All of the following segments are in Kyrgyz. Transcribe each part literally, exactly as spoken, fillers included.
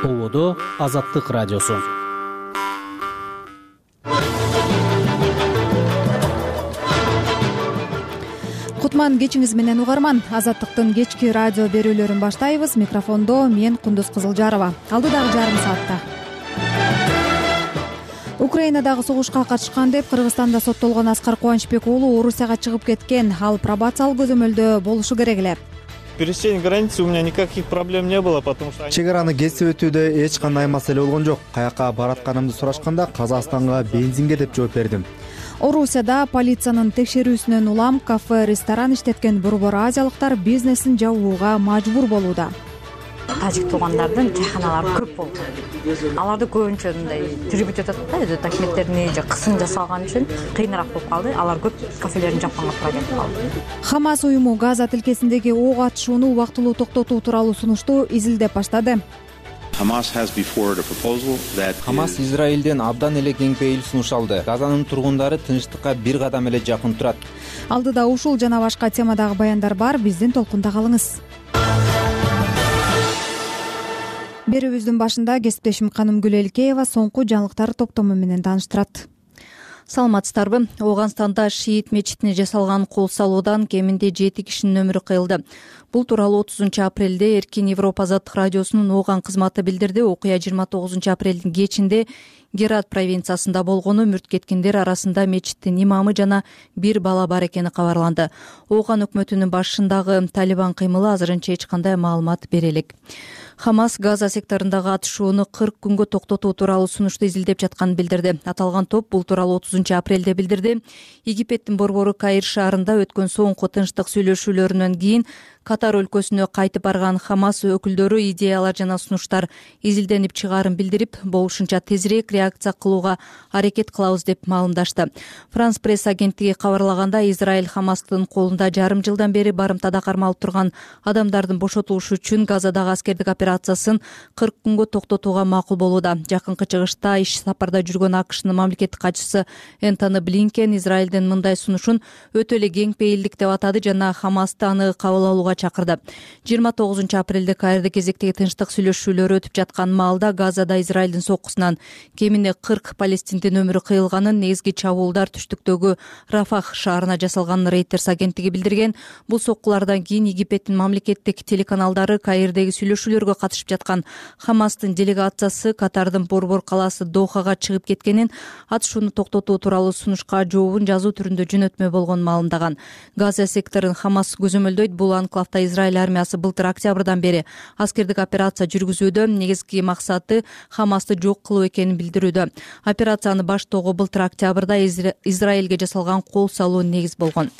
Ободо Азаттык радиосу. Кутман кечиңиз менен угарман. Азаттыктын кечки радио берүүлөрүн баштайбыз. Микрофондо мен Кундуз Кызылжарова. Алдыдагы жарым саатта Украинадагы согушка катышкан деп Кыргызстанда соттолгон Аскар Кубанычбек уулу Орусияга чыгып кеткен. Ал пробациялык көзөмөлдө болушу керек эле. Пересечение границы у меня никаких проблем не было, потому что чек араны кесип өтүүдө эч кандай маселе болгон жок. Каяка баратканымды сурашканда Казакстанга бензинге деп жооп бердим. Орусияда полициянын текшерүүсүнөн улам кафе, ресторан иштеткен борбор азиялыктар бизнесин жабууга мажбур болууда. Тажик туугандардын чайханалары көп болду. Аларды көбүнчө мындай трибут өтөт да, документтерин же кысым жасалган үчүн кыйыныраак болуп калды. Алар көп кафелерин жапканга туура келип калды. Хамас уюму Газа тилкесиндеги ок атышууну убактылуу токтотуу тууралуу сунушту изилдеп баштады. Хамас Израилден абдан эле кең пейил сунуш алды. Газанын тургундары тынчтыкка бир кадам эле жакын турат. Алдыда ушул жана башка темадагы баяндар бар. Биздин толкунда калыңыз. Берүүбүздүн башында кесиптешим Каным Гүлелкеева соңку жаңылыктар топтому менен тааныштырат. Саламатсыздарбы? Ооганстанда шиит мечитине жасалган кол салуудан кеминде жети кишинин өмүрү кыйылды. Бул тууралуу отузунчу апрелде Эркин Европа Азаттык радиосунун Ооган кызматы билдирди. Окуя жыйырма тогузунчу апрелдин кечинде Герат провинциясында болгону, мүрт кеткендер арасында мечиттин имамы жана бир бала бар экени кабарланды. Ооган өкмөтүнүн башындагы Талибан кыймылы азырынча эч кандай маалымат бере элек. Хамас Газа секторундагы атышууну кырк күнгө токтотуу тууралуу сунушту изилдеп жатканын билдирди. Аталган топ бул тууралуу отузунчу апрелде билдирди. Египеттин борбору Каир шаарында өткөн соңку тынчтык сүйлөшүүлөрүнөн кийин Катар өлкөсүнө кайтып барган Хамас өкүлдөрү идеялар жана сунуштар изилденип чыгаарын билдирип, болушунча тезирээк реакция кылууга аракет кылабыз деп маалымдашты. Франс пресс агенттиги кабарлаганда, Израиль Хамастын колунда жарым жылдан бери барымтада кармалып турган адамдардын бошотулушу үчүн Газадагы аскердик операциясын кырк күнгө токтотууга макул болууда. Жакынкы чыгышта иш сапарда жүргөн АКШнын мамлекеттик катчысы Энтони Блинкен Израилдин мындай сунушун өтө эле кең пейилдик деп атады жана Хамасты аны кабыл алууга чакырды. жыйырма тогузунчу апрелде Каирде кезектеги тынчтык сүйлөшүүлөр өтүп жаткан маалда Газада Израилдин соккусунан кемине кырк палестиндин өмүрү кыйылганын, негизги чабуулдар түштүктөгү Рафах шаарына жасалганын Reuters агенттиги билдирген. Бул соккулардан кийин Египеттин мамлекеттик телеканалдары Каирдеги сүйлөшүүлөргө катышып жаткан Хамастын делегациясы Катардын борбор калаасы Дохага чыгып кеткенин, атышууну токтотуу тууралуу сунушка жообун жазуу түрүндө жөнөтмө болгонун маалымдаган. Газа секторун Хамас көзөмөлдөйт. Бул анклавда Израиль армиясы былтыр октябрдан бери аскердик операция жүргүзүүдө. Негизги максаты Хамасты жок кылуу экенин билдирүүдө. Операцияны баштоого былтыр октябрда Израилге жасалган кол салуу негиз болгон.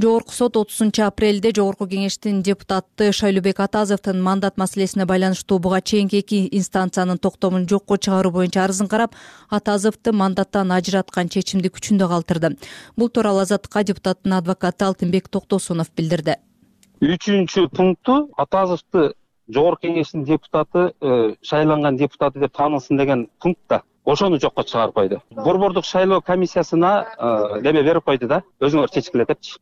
Жогорку сот отузунчу апрелде Жогорку кеңештин депутаты Шайлообек Атазовдун мандат маселесине байланыштуу буга чейинки эки инстанциянын токтомун жокко чыгаруу боюнча арызын карап, Атазовду мандаттан ажыраткан чечимди күчүндө калтырды. Бул тууралуу Азаттыкка депутаттын адвокаты Алтынбек Токтосунов билдирди. Үчүнчү пункту Атазовду Жогорку кеңештин депутаты, шайланган депутаты деп таанылсын деген пунктта ошону жокко чыгарып койду. Борбордук шайлоо комиссиясына неме берип койду да, өзүңөр чечкиле депчи.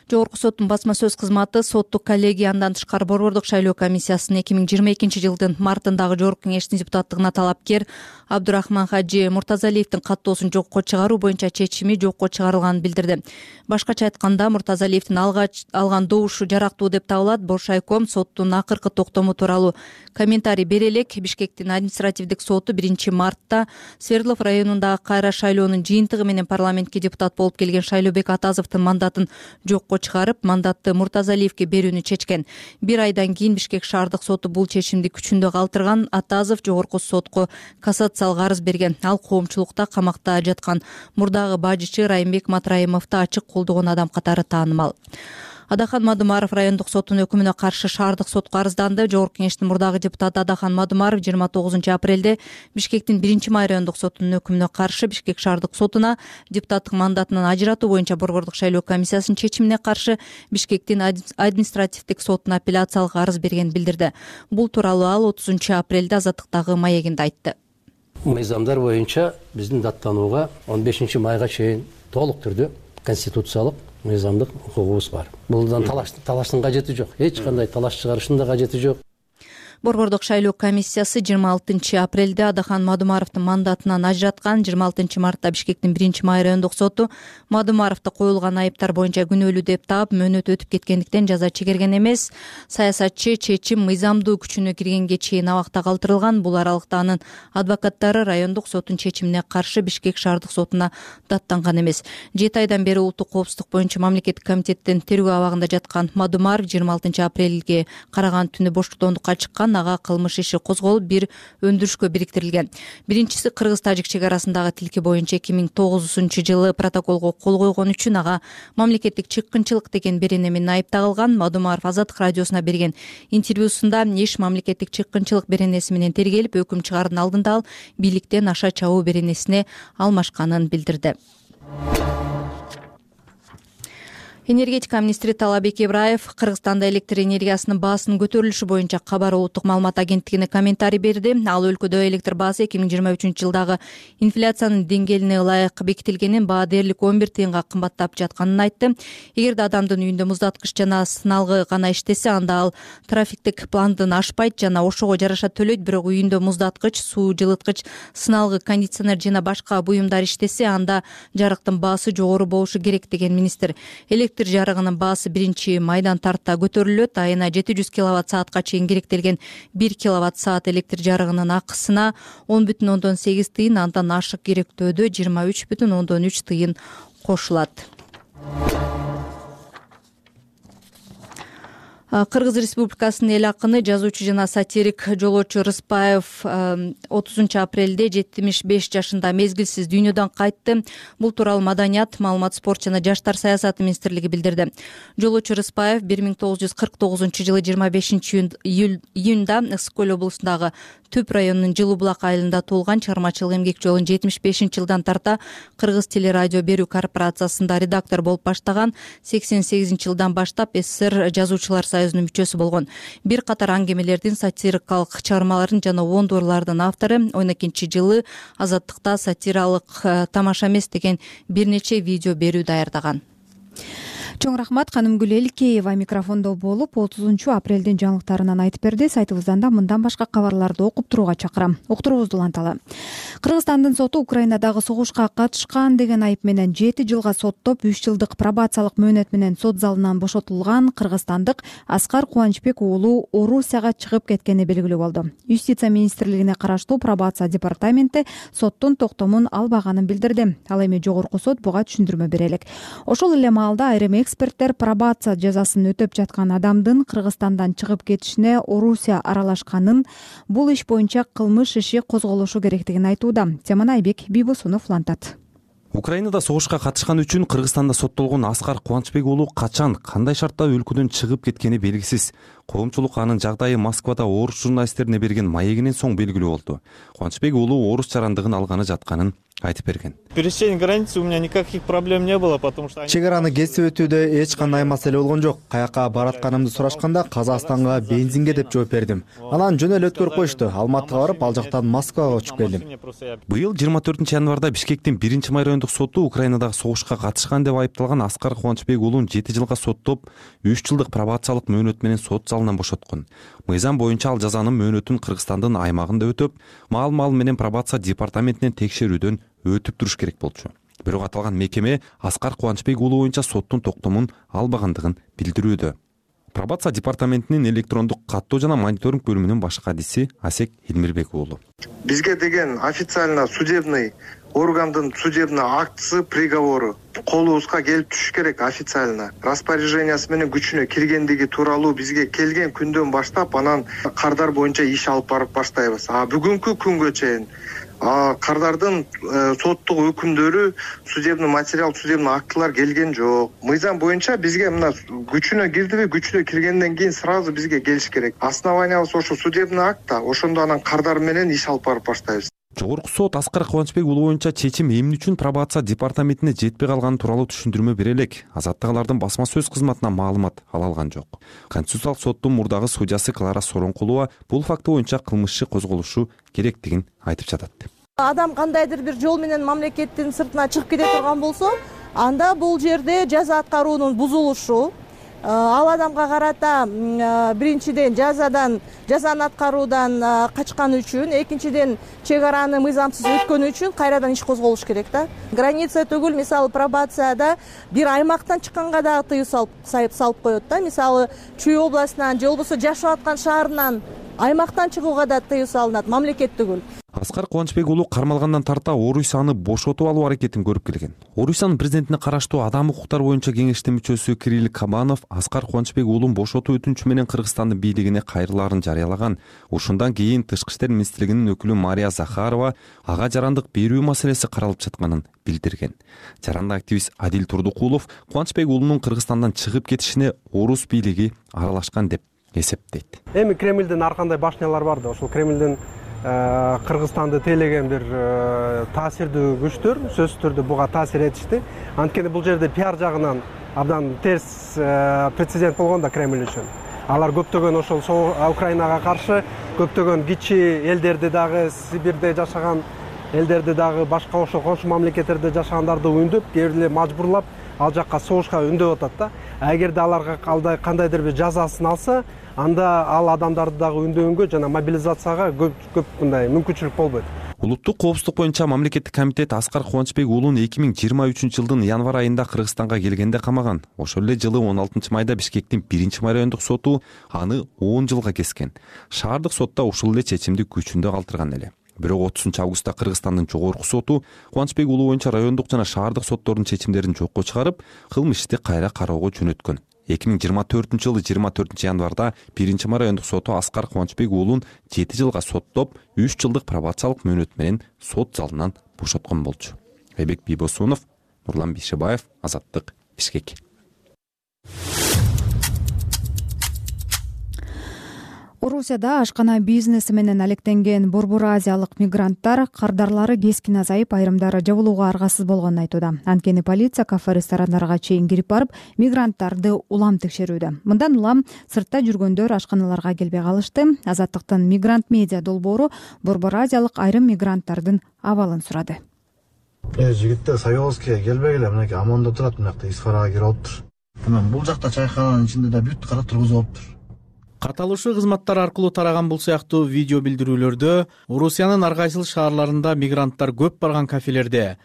Жогорку соттун басма сөз кызматы соттук коллегия андан тышкары борбордук шайлоо комиссиясынын эки миң жыйырма экинчи жылдын мартындагы Жогорку кеңештин депутаттыгына талапкер Абдурахман Хаджи Муртазалиевдин каттоосун жокко чыгаруу боюнча чечими жокко чыгарылганын билдирди. Башкача айтканда, Муртазалиевдин алган добушу жарактуу деп табылат. Боршайком соттун акыркы токтому тууралуу комментарий бере элек. Бишкектин административдик соту биринчи мартта Свердлов районундагы кайра шайлоонун жыйынтыгы менен парламентке депутат болуп келген Шайлообек Атазовдун мандатын жокко чыгарып, мандатты Муртазалиевге берүүнү чечкен. Бир айдан кийин Бишкек шаардык соту бул чечимди күчүндө калтырган. Атазов жогорку сотко кассациялык арыз берген. Ал коомчулукта камакта жаткан мурдагы бажычы Райымбек Матраимовду ачык колдогон адам катары таанымал. Адахан Мадумаров райондук соттун өкүмүнө каршы шаардык сотко арызданды. Жогорку кеңештин мурдагы депутаты Адахан Мадумаров жыйырма тогузунчу апрелде Бишкектин биринчи май райондук сотунун өкүмүнө каршы Бишкек шаардык сотуна депутаттык мандатынан ажыратуу боюнча борбордук шайлоо комиссиясынын чечимине каршы Бишкектин административдик сотуна апелляциялык арыз берген билдирди. Бул тууралуу ал отузунчу апрелде Азаттыктагы маегинде айтты. Мыйзамдар боюнча биздин даттанууга он бешинчи майга чейин толук түрдө конституциялык мыйзамдык укугубуз бар. Булдан талаштын кажети жок. Эч кандай талаш чыгарыштын да кажети жок. Борбордук шайлоо комиссиясы жыйырма алтынчы апрелде Адахан Мадумаровдун мандатынан ажыраткан. жыйырма алтынчы мартта Бишкектин биринчи май райондук соту Мадумаровду коюлган айыптар боюнча күнөөлүү деп таап, мөөнөт өтүп кеткендиктен жаза чегерген эмес. Саясатчы чечим мыйзамдуу күчүнө киргенге чейин абакта калтырылган. Бул аралыкта анын адвокаттары райондук соттун чечимине каршы Бишкек шаардык сотуна даттанган эмес. жети айдан бери улуттук коопсуздук боюнча мамлекеттик комитеттин тергөө абагында жаткан Мадумаров жыйырма алтынчы апрелге караган түнү боштуктондукка чыккан. Ага кылмыш иши козголуп, бир өндүрүшкө бириктирилген. Биринчиси кыргыз-тажик чек арасындагы тилки боюнча эки миң тогузунчу жылы протоколго кол койгон үчүн ага мамлекеттик чыккынчылык деген берене менен айыпталган. Мадумаров Азаттык радиосуна берген интервьюсунда иш мамлекеттик чыккынчылык беренеси менен тергелип, өкүм чыгаардын алдында ал бийликтен аша чабуу беренесине алмашканын билдирди. Энергетика министри Талабек Ибраев Кыргызстанда электр энергиясынын баасынын көтөрүлүшү боюнча Кабар улуттук маалымат агенттигине комментарий берди. Ал өлкөдө электр баасы эки миң жыйырма үчүнчү жылдагы инфляциянын деңгээлине ылайык бекитилгенин, баа дээрлик он бир тыйынга кымбаттап жатканын айтты. Эгерде адамдын үйүндө муздаткыч жана сыналгы гана иштесе, анда ал трафиктик пландын ашпайт жана ошого жараша төлөйт. Бирок үйүндө муздаткыч, суу жылыткыч, сыналгы кондиционер жана башка буюмдар иштесе, анда жарыктын баасы жогору болушу керек деген министр. Электр жарыгынын баасы биринчи майдан тарта көтөрүлөт. Айына жети жүз киловатт саатка чейин керектелген бир киловатт саат электр жарыгынын акысына он бүтүн ондон сегиз тыйын, андан ашык керектөөдө жыйырма үч бүтүн ондон үч тыйын кошулат. Кыргыз Республикасынын эл акыны, жазуучу жана сатирик Жолочу Рыспаев отузунчу апрелде жетимиш беш жашында мезгилсиз дүйнөдөн кайтты. Бул тууралуу Маданият, маалымат, спорт жана жаштар саясаты министрлиги билдирди. Жолочу Рыспаев бир миң тогуз жүз кырк тогузунчу жылы жыйырма бешинчи июнда Ысык көл облусундагы Түп районунун Жылуу булак айылында туулган. Чыгармачылык эмгек жолун жетимиш бешинчи жылдан тарта Кыргыз телерадио берүү корпорациясында редактор болуп баштаган. сексен сегизинчи жылдан баштап СССР жазуучулар союзунун мүчөсү болгон. Бир катар аңгемелердин, сатирикалык чыгармалардын жана ондурлардын автору. он экинчи жылы Азаттыкта сатиралык тамаша эмес деген бир нече видео берүү даярдаган. Чоң рахмат. Канымгүл Элкеева микрофондо болуп, отузунчу апрелдин жаңылыктарынан айтып берди. Сайтыбыздан да мындан башка кабарларды окуп туруга чакырам. Уктуруубузду уланталы. Кыргызстандын соту Украинадагы согушка катышкан деген айып менен жети жылга соттоп, үч жылдык пробациялык мөөнөт менен сот залынан бошотулган кыргызстандык Аскар Кубанычбек уулу Орусияга чыгып кеткени белгилүү болду. Юстиция министрлигине караштуу пробация департаменти соттун токтомун албаганын билдирди. Ал эми жогорку сот буга түшүндүрмө бере элек. Ошол эле маалда айрым эксперттер пробация жазасын өтөп жаткан адамдын Кыргызстандан чыгып кетишине Орусия аралашканын, бул иш боюнча кылмыш иши козголушу керектигин айтууда. Теманы Айбек Бийбосунов улантат. Украинада согушка катышкан үчүн Кыргызстанда соттолгон Аскар Кубанычбек уулу качан, кандай шартта өлкөдөн чыгып кеткени белгисиз. Коомчулук анын жагдайы Москвада орус журналисттерине берген маегинен соң белгилүү болду. Кубанычбек уулу орус жарандыгын алганы жатканын айтып берген. Пересечение границы у меня никаких проблем не было, потому что чек араны кесип өтүүдө эч кандай маселе болгон жок. Каяка баратканымды сурашканда Казакстанга бензинге деп жооп бердим. Анан жөн эле өткөрүп коюшту. Алматыга барып, ал жактан Москвага учуп келдим. Быйыл жыйырма төртүнчү январда Бишкектин биринчи май райондук соту Украинадагы согушка катышкан деп айыпталган Аскар Кубанычбек уулун жети жылга соттоп, үч жылдык пробациялык мөөнөт менен сот залынан бошоткон. Мыйзам боюнча ал жазанын мөөнөтүн Кыргызстандын аймагында өтөп, маал-маал менен пробация департаментинен текшерүүдөн өтүп туруш керек болчу. Бирок аталган мекеме Аскар Кубанычбек уулу боюнча соттун токтомун албагандыгын билдирүүдө. Пробация департаментинин электрондук каттоо жана мониторинг бөлүмүнүн баш кадиси Асек Илмирбек уулу. Бизге деген официально судебный органдын судебный актысы, приговору колубузга келип түшүш керек официально. Распоряжениясы менен күчүнө киргендиги тууралуу бизге келген күндөн баштап анан кардар боюнча иш алып барып баштайбыз. А бүгүнкү күнгө чейин кардардын соттук өкүмдөрү, судебный материал, судебный актылар келген жок. Мыйзам боюнча бизге мына күчүнө кирдиби, күчүнө киргенден кийин сразу бизге келиш керек. Основаниябыз ошо судебный акт да, ошондо анан кардар менен иш алып барып баштайбыз. Жогорку сот Аскар Кубанычбек уулу боюнча чечим эмне үчүн пробация департаментине жетпей калганы тууралуу түшүндүрмө бере элек. Азаттык алардын басма сөз кызматынан маалымат ала алган жок. Конституциялык соттун мурдагы судьясы Клара Соронкулова бул факты боюнча кылмыш иши козголушу керектигин айтып жатат. Адам кандайдыр бир жол менен мамлекеттин сыртына чыгып кете турган болсо, анда бул жерде жаза аткаруунун бузулушу, ал адамга карата биринчиден жазадан жазаны аткаруудан качканы үчүн, экинчиден чек араны мыйзамсыз өткөнү үчүн кайрадан иш козголуш керек да. Граница түгүл, мисалы пробацияда бир аймактан чыкканга дагы тыюу салып салып коет да. Мисалы Чүй областынан же болбосо жашап аткан шаарынан аймактан чыгууга да тыюу салынат, мамлекет түгүл. Аскар Кубанычбек уулу кармалгандан тарта Орусияны бошотуп алуу аракетин көрүп келген. Орусиянын президентине караштуу адам укуктары боюнча кеңештин мүчөсү Кирилл Кабанов Аскар Кубанычбек уулун бошотуу өтүнүчү менен Кыргызстандын бийлигине кайрылаарын жарыялаган. Ушундан кийин Тышкы иштер министрлигинин өкүлү Мария Захарова ага жарандык берүү маселеси каралып жатканын билдирген. Жаранды активист Адил Турдукулов Кубанычбек уулунун Кыргызстандан чыгып кетишине орус бийлиги аралашкан деп эсептейт. Эми Кремлдин ар кандай башнялар бар да, ошол Кремлдин Кыргызстанды тейлеген бир таасирдүү күчтөр сөзсүз түрдө буга таасир этишти. Анткени бул жерде пиар жагынан абдан терс прецедент болгон да Кремль үчүн. Алар көптөгөн ошол Украинага каршы көптөгөн кичи элдерди дагы, Сибирде жашаган элдерди дагы, башка ошол коңшу мамлекеттерде жашагандарды үндүп, кээ бирде мажбурлап ал жакка согушка үндөп атат да. Эгерде аларга кандайдыр бир жазасын алса, анда ал адамдарды дагы үндөгөнгө жана мобилизацияга көп көп мындай мүмкүнчүлүк болбойт. Улуттук коопсуздук боюнча мамлекеттик комитет Аскар Кубанычбек уулун эки миң жыйырма үчүнчү жылдын январь айында Кыргызстанга келгенде камаган. Ошол эле жылы он алтынчы майда Бишкектин биринчи май райондук соту аны он жылга кескен. Шаардык сотто ушул эле чечимди күчүндө калтырган эле. Бирок отузунчу августта Кыргызстандын жогорку соту Кубанычбек уулу боюнча райондук жана шаардык соттордун чечимдерин жокко чыгарып, кылмыш ишти кайра кароого жөнөткөн. эки миң жыйырма төртүнчү жылы жыйырма төртүнчү январда биринчи май райондук соту Аскар Кубанычбек уулун жети жылга соттоп, үч жылдык пробациялык мөөнөт менен сот залынан бошоткон болчу. Айбек Бийбосунов, Нурлан Бишебаев, Азаттык, Бишкек. Орусияда ашкана бизнеси менен алектенген борбор азиялык мигранттар кардарлары кескин азайып, айрымдары жабылууга аргасыз болгонун айтууда. Анткени полиция кафе ресторандарга чейин кирип барып, мигранттарды улам текшерүүдө. Мындан улам сыртта жүргөндөр ашканаларга келбей калышты. Азаттыктын мигрант медиа долбоору борбор азиялык айрым мигранттардын абалын сурады. Э, жигиттер Союзге келбегиле, мынакей Амондо турат, мынакта Исфарага кирип алыптыр. Мына бул жакта чайкананын ичинде да бүт кара тургузуп алыптыр. Каталышуу кызматтар аркылуу тараган бул сыяктуу видео билдирүүлөрдө Орусиянын ар кайсыл шаарларында мигранттар көп барган кафелерде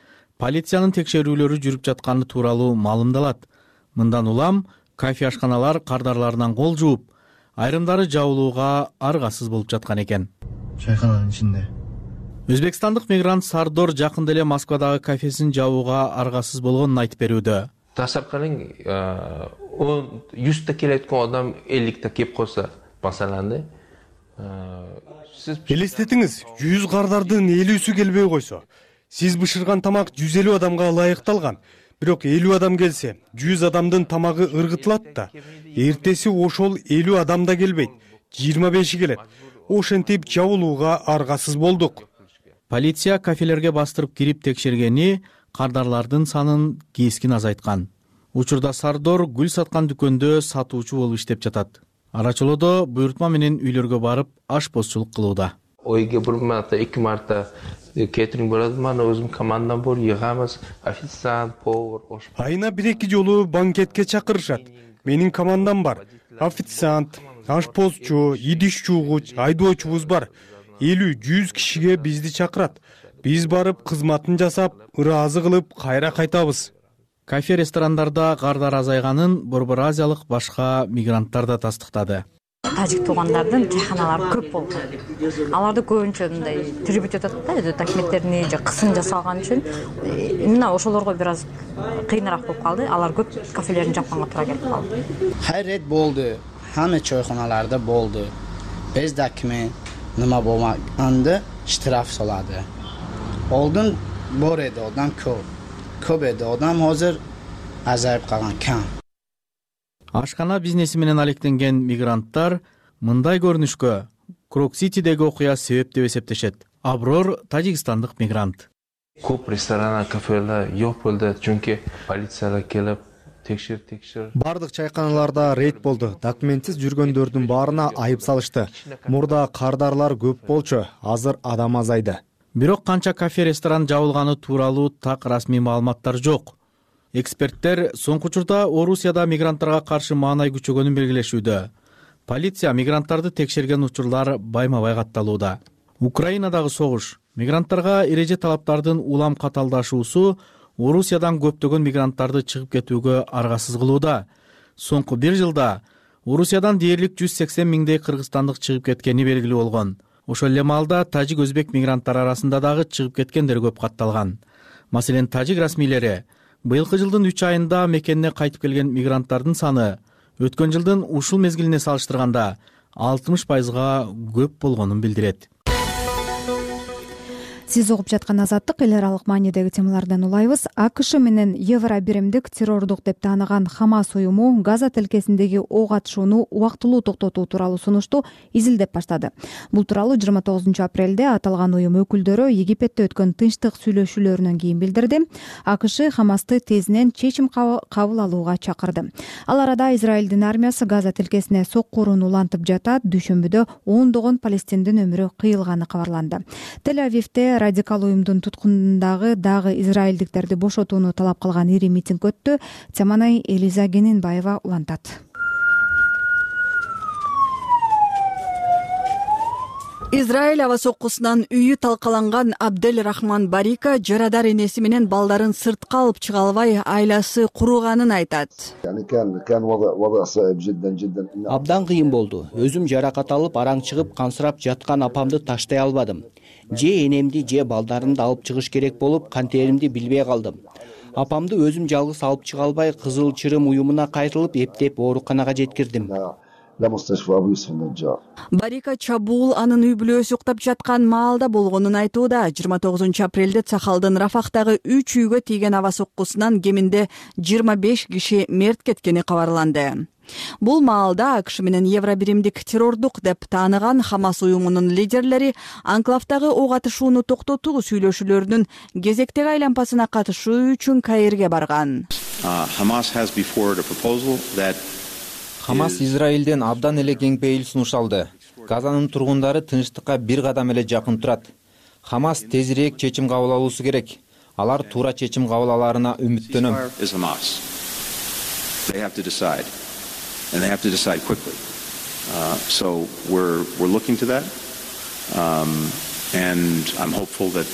полициянын текшерүүлөрү жүрүп жатканы тууралуу маалымдалат. Мындан улам кафе ашканалар кардарларынан кол жууп, айрымдары жабылууга аргасыз болуп жаткан экен. Чайкананын ичинде. Өзбекстандык мигрант Сардор жакында эле Москвадагы кафесин жабууга аргасыз болгонун айтып берүүдө. Tasavvur qiling, o'n yuzta kelayotgan odam ellikta kelib qolsa, masalanda, siz элестетиңиз, жүз кардардын элүүсү келбей койсо, сиз бышырган тамак жүз элүү адамга ылайыкталган. Бирок элүү адам келсе, жүз адамдын тамагы ыргытылат да. Эртеси ошол элүү адам да келбейт, жыйырма беши келет. Ошентип жабылууга аргасыз болдук. Полиция кафелерге бастырып кирип текшергени кардарлардын санын кескин азайткан. Учурда Сардор гүл саткан дүкөндө сатуучу болуп иштеп жатат. Арачолодо буйртма менен үйлөргө барып ашпозчулук кылууда. Ойга бир марта, эки марта кетринг болот, мана өзүм командам бар, йыгамыз, официант, повар, ош. Айына бир-эки жолу банкетке чакырышат. Менин командам бар. Официант, ашпозчу, идиш жуугуч, айдоочубуз бар. элүү жүз кишиге бизди чакырат. Биз барып кызматын жасап, ыраазы кылып кайра кайтабыз. Кафе ресторандарда кардар азайганын борбор азиялык башка мигранттар да тастыктады. Тажик туугандардын чайканалары көп болду. Аларды көбүнчө мындай трибут өтөт да, документтерин же кысым жасалган үчүн мына ошолорго бир аз кыйыныраак болуп калды. Алар көп кафелерин жапканга туура келип калды. Хайрет болду. Хамма чойканаларда болду. Без документ нема болмаганда штраф солады. Oldin bor edi odam ko'p. Ko'p edi odam, hozir azayib qolgan kam. Ашкана бизнеси менен алектенген мигранттар мындай көрүнүшкө Крок-Ситидеги окуя себеп деп эсептешет. Аброр тажикстандык мигрант. Көп ресторан, кафелер жок болду, чүнки полициялар келип текшер текшер. Бардык чайканаларда рейд болду. Документсиз жүргөндөрдүн баарына айып салышты. Мурда кардарлар көп болчу, азыр адам азайды. Бирок канча кафе ресторан жабылганы тууралуу так расмий маалыматтар жок. Эксперттер соңку учурда Орусияда мигранттарга каршы маанай күчөгөнүн белгилешүүдө. Полиция мигранттарды текшерген учурлар байма-бай катталууда. Украинадагы согуш, мигранттарга эреже талаптардын улам каталдашуусу Орусиядан көптөгөн мигранттарды чыгып кетүүгө аргасыз кылууда. Соңку бир жылда Орусиядан дээрлик жүз сексен миңдей кыргызстандык чыгып кеткени белгилүү болгон. Ошол эле маалда тажик өзбек мигранттар арасында дагы чыгып кеткендер көп катталган. Маселен, тажик расмийлери быйылкы жылдын үч айында мекенине кайтып келген мигранттардын саны өткөн жылдын ушул мезгилине салыштырганда алтымыш пайызга көп болгонун билдирет. Сиз угуп жаткан Азаттык эл аралык маанидеги темалардан улайбыз. АКШ менен Евро биримдик террордук деп тааныган Хамас уюму Газа тилкесиндеги ок атышууну убактылуу токтотуу тууралуу сунушту изилдеп баштады. Бул тууралуу жыйырма тогузунчу апрелде аталган уюм өкүлдөрү Египетте өткөн тынчтык сүйлөшүүлөрүнөн кийин билдирди. АКШ Хамасты тезинен чечим кабыл алууга чакырды. Ал арада Израилдин армиясы Газа тилкесине соккурун улантып жатат. Дүйшөмбүдө ондогон палестиндин өмүрү кыйылганы кабарланды. Тель-Авивде радикал уюмдун туткунундагы дагы израилдиктерди бошотууну талап кылган ири митинг өттү. Теманай Элиза Генинбаева улантат. Израиль аба соккусунан үйү талкаланган Абдель Рахман Барика жарадар энеси менен балдарын сыртка алып чыга албай, айласы куруганын айтат. Абдан кыйын болду. Өзүм жаракат алып, араң чыгып, кансырап жаткан апамды таштай албадым. Же энемди, же балдарымды алып чыгыш керек болуп, кантеримди билбей калдым. Апамды өзүм жалгыз алып чыга албай, Кызыл Чырым уюмуна кайтылып, эптеп ооруканага жеткирдим. Барика чабуул анын үй бүлөсү уктап жаткан маалда болгонун айтууда. жыйырма тогузунчу апрелде Цахалдын Рафахтагы үч үйгө тийген аба соккусунан кеминде жыйырма беш киши мерт кеткени кабарланды. Бул маалда АКШ менен Евро биримдик террордук деп тааныган Хамас уюмунун лидерлери анклавдагы ок атышууну токтотуу сүйлөшүүлөрүнүн кезектеги айлампасына катышуу үчүн Каирге барган. Хамас Израилден абдан эле кең пейил сунуш алды. Газанын тургундары тынчтыкка бир кадам эле жакын турат. Хамас тезирээк чечим кабыл алуусу керек. Алар туура чечим кабыл алаарына үмүттөнөм. And they have to decide quickly. Uh, so we're we're looking to that, um, and I'm hopeful that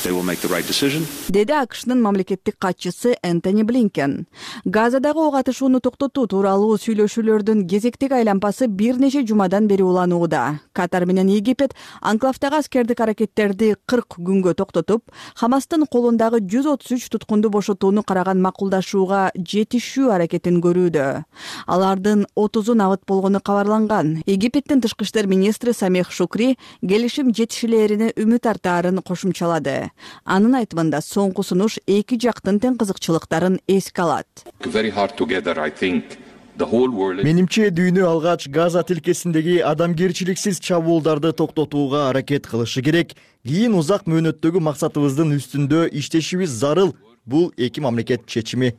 they will make the right decision. Деди АКШнын мамлекеттик катчысы Энтони Блинкен. Газадагы ок атышууну токтотуу тууралуу сүйлөшүүлөрдүн кезектеги айлампасы бир нече жумадан бери уланууда. Катар менен Египет анклавдагы аскердик аракеттерди кырк күнгө токтотуп, Хамастын колундагы жүз отуз үч туткунду бошотууну караган макулдашууга жетишүү аракетин көрүүдө. Алардын отузу набыт болгону кабарланган. Египеттин тышкы иштер министри Самех Шукри келишим жетишилерине үмүт артаарын кошумчалады. Анын айтымында соңку сунуш эки жактын тең кызыкчылыктарын эске алат. Менимче дүйнө алгач Газа тилкесиндеги адамгерчиликсиз чабуулдарды токтотууга аракет кылышы керек. Кийин узак мөөнөттөгү максатыбыздын үстүндө иштешибиз зарыл. Бул эки мамлекет чечими.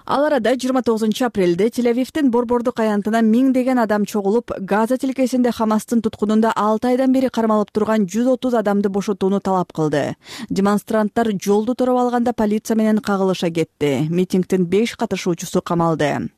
Ал арада жыйырма тогузунчу апрелде Тель-Авивдин борбордук аянтына миңдеген адам чогулуп, Газа тилкесинде Хамастын туткунунда алты айдан бери кармалып турган жүз отуз адамды бошотууну талап кылды. Демонстранттар жолду тороп алганда полиция менен кагылыша кетти. Митингдин беш катышуучусу камалды.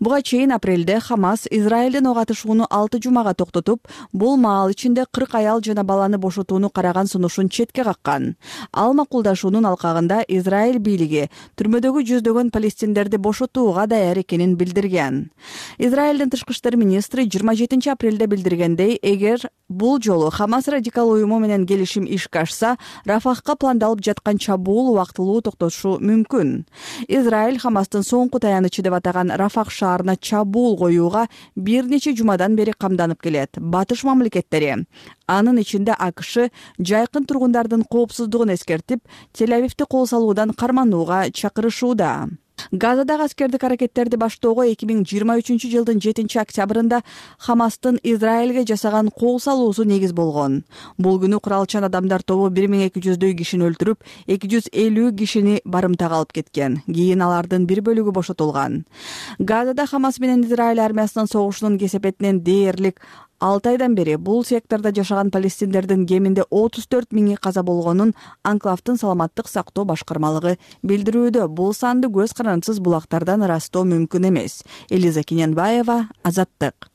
Буга чейин апрелде Хамас Израилдин ок атышууну алты жумага токтотуп, бул маал ичинде кырк аял жана баланы бошотууну караган сунушун четке каккан. Ал макулдашуунун алкагында Израиль бийлиги түрмөдөгү жүздөгөн палестиндерди бошотууга даяр экенин билдирген. Израилдин тышкы иштер министри жыйырма жетинчи апрелде билдиргендей, эгер бул жолу Хамас радикал уюму менен келишим ишке ашса, Рафахка пландалып жаткан чабуул убактылуу токтошу мүмкүн. Израиль Хамастын соңку таянычы деп атаган Рафах шаарына чабуул коюуга бир нече жумадан бери камданып келет. Батыш мамлекеттери, анын ичинде АКШ, жайкын тургундардын коопсуздугун эскертип, Тель-Авивди кол салуудан карманууга чакырышууда. Газадагы аскердик аракеттерди баштоого эки миң жыйырма үчүнчү жылдын жетинчи октябрында Хамастын Израилге жасаган кол салуусу негиз болгон. Бул күнү куралчан адамдар тобу бир миң эки жүздөй кишини өлтүрүп, эки жүз элүү кишини барымтага алып кеткен. Кийин алардын бир бөлүгү бошотулган. Газада Хамас менен Израиль армиясынын согушунун кесепетинен дээрлик алты айдан бери бул сектордо жашаган палестиндердин кеминде отуз төрт миңи каза болгонун анклавдын саламаттык сактоо башкармалыгы билдирүүдө. Бул санды көз карандысыз булактардан ырастоо мүмкүн эмес. Элиза Кененбаева, Азаттык.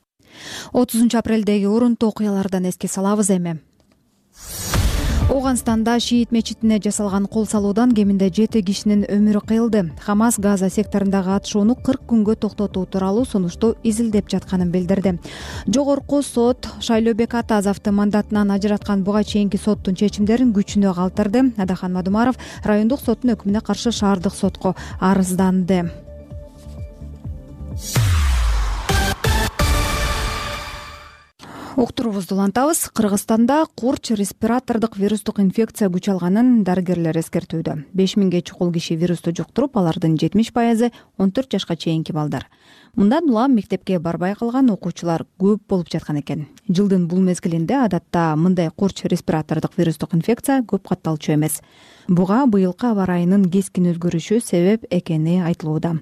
отузунчу апрелдеги урунтуу окуялардан эске салабыз эми. Ооганстанда шиит мечитине жасалган кол салуудан кеминде жети кишинин өмүрү кыйылды. Хамас Газа секторундагы атышууну кырк күнгө токтотуу тууралуу сунушту изилдеп жатканын билдирди. Жогорку сот Шайлообек Атазовду мандатынан ажыраткан буга чейинки соттун чечимдерин күчүнө калтырды. Адахан Мадумаров райондук соттун өкүмүнө каршы шаардык сотко арызданды. Уктуруубузду улантабыз. Кыргызстанда курч респиратордук вирустук инфекция күч алганын дарыгерлер эскертүүдө. беш миңге чукул киши вирусту жуктуруп, алардын жетимиш пайызы он төрт жашка чейинки балдар. Мындан улам мектепке барбай калган окуучулар көп болуп жаткан экен. Жылдын бул мезгилинде адатта мындай курч респиратордук вирустук инфекция көп катталчу эмес. Буга быйылкы аба ырайынын кескин өзгөрүшү себеп экени айтылууда.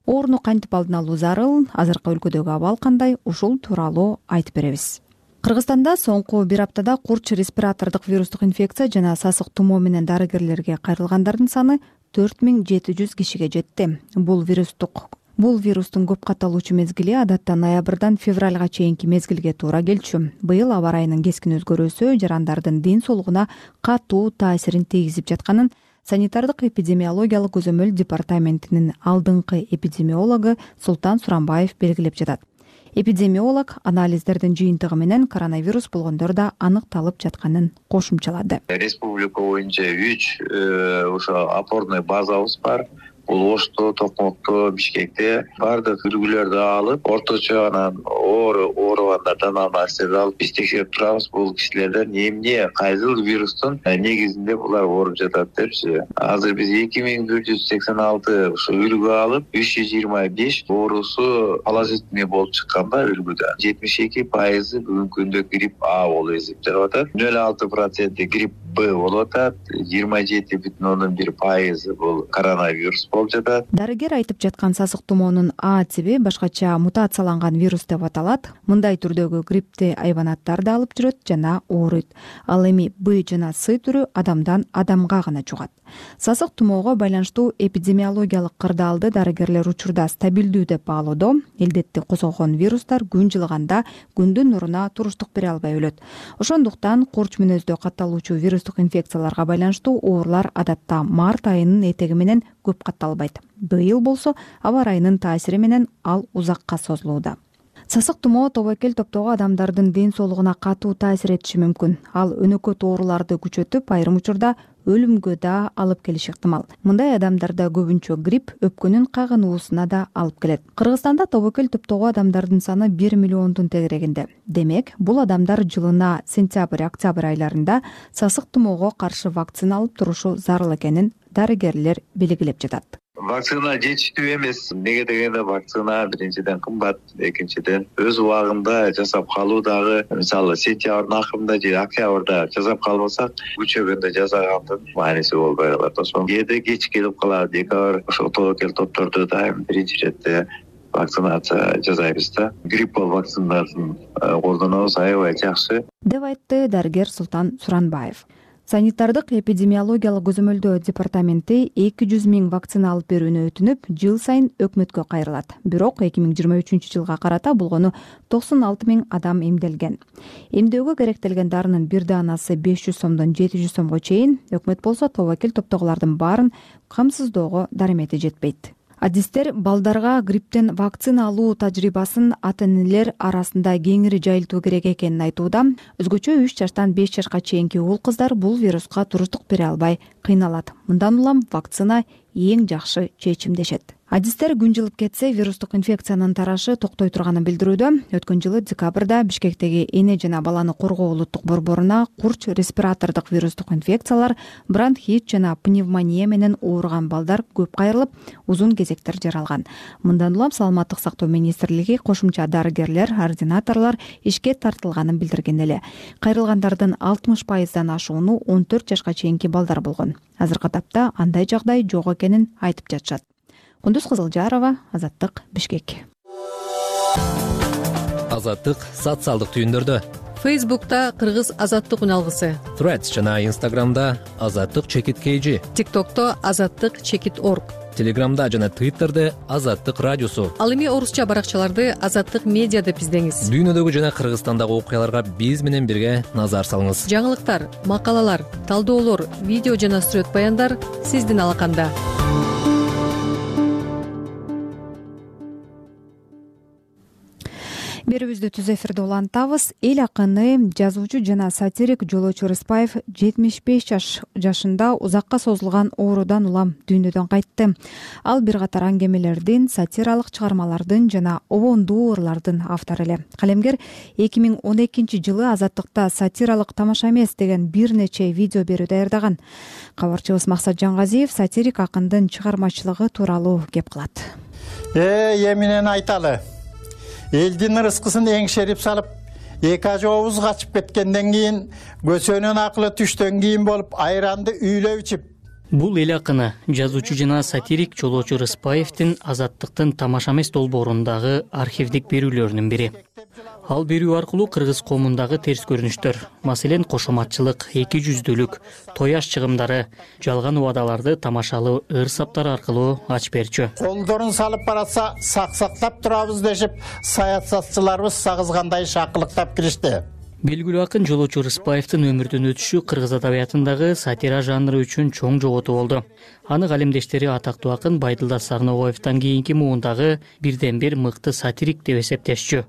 Ооруну кантип алдын алуу зарыл, азыркы өлкөдөгү абал кандай, ушул тууралуу айтып беребиз. Кыргызстанда соңку бир аптада курч респиратордук вирустук инфекция жана сасык тумоо менен дарыгерлерге кайрылгандардын саны төрт миң жети жүз кишиге жетти. Бул вирустук Бул вирустун көп катталуучу мезгили адатта ноябрдан февралга чейинки мезгилге туура келчү. Быйыл аба ырайынын кескин өзгөрүүсү жарандардын ден соолугуна катуу таасирин тийгизип жатканын санитардык эпидемиологиялык көзөмөл департаментинин алдыңкы эпидемиологу Султан Суранбаев белгилеп жатат. Эпидемиолог анализдердин жыйынтыгы менен коронавирус болгондор да аныкталып жатканын кошумчалады. Республика боюнча үч ошо опорный базабыз бар. Бул Ошто, Токмокто, Бишкекте баардык үлгүлөрдү алып, орточо анан оору ооругандардан анализдерди алып биз текшерип турабыз. Бул кишилерден эмне кайсыл вирустун негизинде булар ооруп жатат депчи. Азыр биз эки миң бир жүз сексен алты ушу үлгү алып, үч жүз жыйырма беш оорусу положительный болуп чыкканда үлгүдө жетимиш эки пайызы бүгүнкү күндө грипп А болуп эсептелип атат. нөл алты процент грипп Б болуп атат. жыйырма жети бүтүн ондон бир пайызы бул коронавирус болуп жатат. Дарыгер айтып жаткан сасык тумоонун А тиби башкача мутацияланган вирус деп аталат. Мындай түрдөгү гриппти айбанаттар да алып жүрөт жана ооруйт. Ал эми Б жана С түрү адамдан адамга гана жугат. Сасык тумоого байланыштуу эпидемиологиялык кырдаалды дарыгерлер учурда стабилдүү деп баалоодо. Элдетти козгогон вирустар күн жылыганда күндүн нуруна туруштук бере албай өлөт. Ошондуктан курч мүнөздө катталуучу вирустук инфекцияларга байланыштуу оорулар адатта март айынын этеги менен көп катталбайт. Быйыл болсо аба ырайынын таасири менен ал узакка созулууда. Сасык тумоо тобокел топтогу адамдардын ден соолугуна катуу таасир этиши мүмкүн. Ал өнөкөт ооруларды күчөтүп, айрым учурда өлүмгө да алып келиши ыктымал. Мындай адамдарда көбүнчө грипп өпкөнүн кагынуусуна да алып келет. Кыргызстанда тобокел топтогу адамдардын саны бир миллиондун тегерегинде. Демек, бул адамдар жылына сентябрь-октябрь айларында сасык тумоого каршы вакцина алып турушу зарыл экенин дарыгерлер белгилеп жатат. Вакцина жетиштүү эмес. Неге дегенде вакцина биринчиден кымбат, экинчиден өз убагында жасап калуу дагы, мисалы сентябрдын акырында же октябрда жасап калбасак, күчөгөндө жасагандын мааниси болбой калат. Ошон кээде кеч келип калат. Декабрь ошо тобокел топторду дайым биринчи иретте вакцинация жасайбыз да. Гриппол вакциналарын колдонобуз, аябай жакшы, деп айтты дарыгер Султан Суранбаев. Санитардык эпидемиологиялык көзөмөлдөө департаменти эки жүз миң вакцина алып берүүнү өтүнүп, жыл сайын өкмөткө кайрылат. Бирок эки миң жыйырма үчүнчү жылга карата болгону токсон алты миң адам эмделген. Эмдөөгө керектелген дарынын бир даанасы беш жүз сомдон жети жүз сомго чейин, өкмөт болсо тобокел топтогулардын баарын камсыздоого дарымети жетпейт. Адистер балдарга грипптен вакцина алуу тажрыйбасын ата-энелер арасында кеңири жайылтуу керек экенин айтууда. Өзгөчө үч жаштан беш жашка чейинки уул кыздар бул вируска туруштук бере албай кыйналат. Мындан улам вакцина эң жакшы чечим дешет. Адистер күн жылып кетсе, вирустук инфекциянын тарашы токтой турганын билдирүүдө. Өткөн жылы декабрда Бишкектеги эне жана баланы коргоо улуттук борборуна курч респиратордук вирустук инфекциялар, бронхит жана пневмония менен ооруган балдар көп кайрылып, узун кезектер жаралган. Мындан улам Саламаттык сактоо министрлиги кошумча дарыгерлер, ординаторлор ишке тартылганын билдирген эле. Кайрылгандардын алтымыш пайыздан ашууну он төрт жашка чейинки балдар болгон. Азыркы тапта андай жагдай жок экенин айтып жатышат. Кундуз Кызылжарова, Азаттык, Бишкек. Азаттык социалдык түйүндөрдө, Фейсбукта Кыргыз азаттык үналгысы, Threads жана Instagramда азаттык чекит kg, ТикТокто азаттык чекит орг, Телеграмда жана Twitterде азаттык радиосу. Ал эми орусча баракчаларды азаттык медиа деп издеңиз. Дүйнөдөгү жана Кыргызстандагы окуяларга биз менен бирге назар салыңыз. Жаңылыктар, макалалар, талдоолор, видео жана сүрөт баяндар сиздин алаканда. Берүүбүздү түз эфирде улантабыз. Эл акыны, жазуучу жана сатирик Жолочу Рыспаев жетимиш беш жашында узакка созулган оорудан улам дүйнөдөн кайтты. Ал бир катар аңгемелердин, сатиралык чыгармалардын жана обондуу ырлардын автору эле. Калемгер эки миң он экинчи жылы Азаттыкта сатиралык тамаша эмес деген бир нече видео берүү даярдаган. Кабарчыбыз Максат Жаңгазиев сатирик акындын чыгармачылыгы тууралуу кеп кылат. Э, эминен айталы. Элдин ырыскысын эңшерип салып, эки ажообуз качып кеткенден кийин, көсөнүн акылы түштөн кийин болуп, айранды үйлөп ичип. Бул эл акыны, жазуучу жана сатирик Жолочу Рыспаевдин Азаттыктын тамаша эмес долбоорундагы архивдик берүүлөрүнүн бири. Ал берүү аркылуу кыргыз коомундагы терс көрүнүштөр, маселен кошоматчылык, эки жүздүүлүк, тояш чыгымдары, жалган убадаларды тамашалуу ыр саптар аркылуу ачып берчү. Колдорун салып баратса, саксактап турабыз дешип, саясатчыларыбыз сагызгандай шакылыктап киришти. Белгилүү акын Жолочу Рыспаевдин өмүрдөн өтүшү кыргыз адабиятындагы сатира жанры үчүн чоң жоготуу болду. Аны калемдештери атактуу акын Байдылдас Сарнобаевден кийинки муундагы бирден бир мыкты сатирик деп эсептешчү.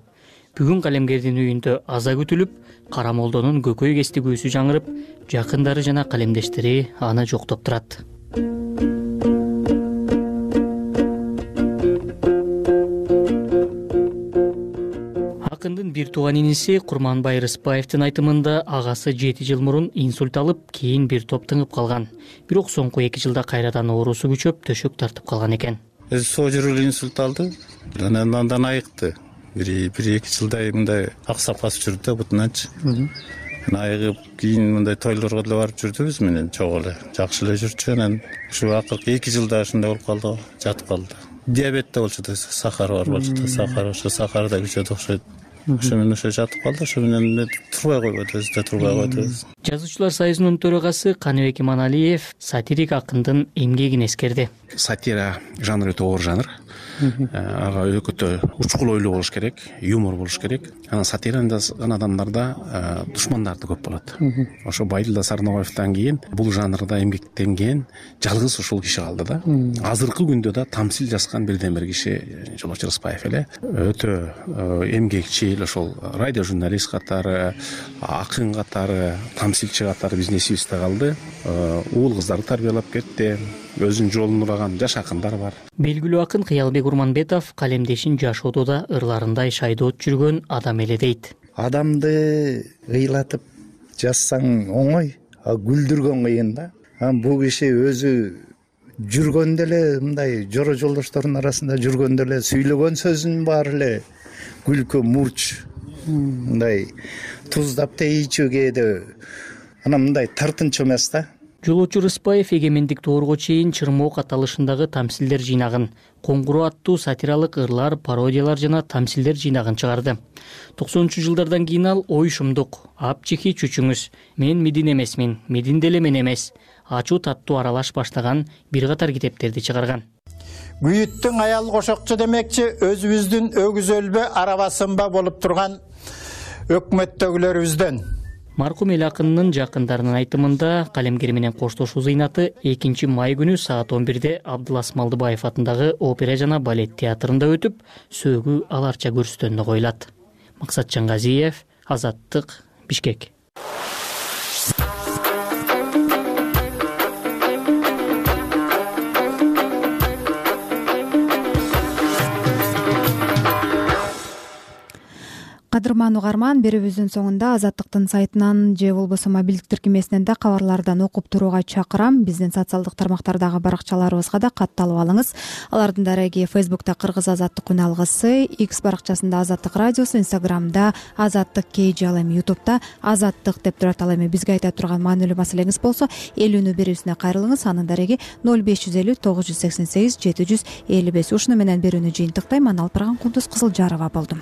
Бүгүн калемгердин үйүндө аза күтүлүп, Кара молдонун көкөй кестигүүсү жаңырып, жакындары жана калемдештери аны жоктоп турат. Акындын бир тууган иниси Курманбай Рыспаевдин айтымында агасы жети жыл мурун инсульт алып, кийин бир топ тыңып калган. Бирок соңку эки жылда кайрадан оорусу күчөп, төшөк тартып калган экен. Сол жүрүлүү инсульт алды. Андан айыкты. Бир эки жылдай мындай аксап басып жүрдү да бутуначы. Айыгып, кийин мындай тойлорго деле барып жүрдүбүз менен чогуу эле. Жакшы эле жүрчү. Анан ушу акыркы эки жылда ушундай болуп калды, жатып калды. Диабет да болчу да, сахар бар болчу да, сахар, ошо сахар да күчөдү окшойт. Ошо менен ошо жатып калды, ошо менен турбай койбойбуз да, турбай койбойбуз. Жазуучулар союзунун төрагасы Каныбек Иманалиев сатирик акындын эмгегин эскерди. Сатира жанры өтө оор жанр. Ага өтө учкул ойлуу болуш керек, юмор болуш керек. Анан сатирада адамдарда душмандарды көп болот. Ошо Байдылдас Сарнобаевден кийин бул жанрда эмгектенген жалгыз ушул киши калды да. Азыркы күндө да тамсил жазган бирден бир киши Жолочу Рыспаев эле. Өтө эмгекчил, ошол радио журналист катары, акын катары, тамсилчи катары биздин эсибизде калды. Уул кыздарды тарбиялап кетти. Өзүнүн жолун ураган жаш акындар бар. Белгилүү акын Кыялбек Урманбетов калемдешин жашоодо да ырларындай шайдоот жүргөн адам эле дейт. Адамды ыйлатып жазсаң оңой, а күлдүргөн кыйын да. Бул киши өзү жүргөндө эле мындай жоро жолдошторунун арасында жүргөндө эле сүйлөгөн сөзүнүн баары эле күлкү, мурч, мындай туздап тийчү кээде. Анан мындай тартынчу эмес да. Жолочу Рыспаев эгемендик доорго чейин Чырмоок аталышындагы тамсилдер жыйнагын, Коңгуроо аттуу сатиралык ырлар, пародиялар жана тамсилдер жыйнагын чыгарды. токсонунчу жылдардан кийин ал Ой шумдук, Апчики чүчүңүз, Мен Медин эмесмин, Медин деле мен эмес, Ачуу таттуу аралаш баштаган бир катар китептерди чыгарган. Күйүттүң аял кошокчу демекчи, өзүбүздүн өгүз өлбө арабасынба болуп турган өкмөттөгүлөрүбүздөн. Маркум эл акынынын жакындарынын айтымында калемгер менен коштошуу зыйнаты экинчи май күнү саат он бирде Абдылас Малдыбаев атындагы опера жана балет театрында өтүп, сөөгү аларча көрсөтөндө коюлат. Максат Жаңгазиев, Азаттык, Бишкек. Кадырман угарман, берүүбүздүн соңунда Азаттыктын сайтынан же болбосо мобилдик тиркемесинен да кабарлардан окуп турууга чакырам. Биздин социалдык тармактардагы баракчаларыбызга да катталып алыңыз. Алардын дареги Фейсбукта Кыргыз азаттык үналгысы, X баракчасында Азаттык радиосу, Инстаграмда Азаттык kg, ал эми Ютубта Азаттык деп турат. Ал эми бизге айта турган маанилүү маселеңиз болсо, элүүнү берүүсүнө кайрылыңыз. Анын дареги ноль беш жүз элүү тогуз жүз сексен сегиз жети жүз элүү беш. Ушуну менен берүүнү жыйынтыктайм. Мен Алпырган Кундуз Кызылжарова болдум.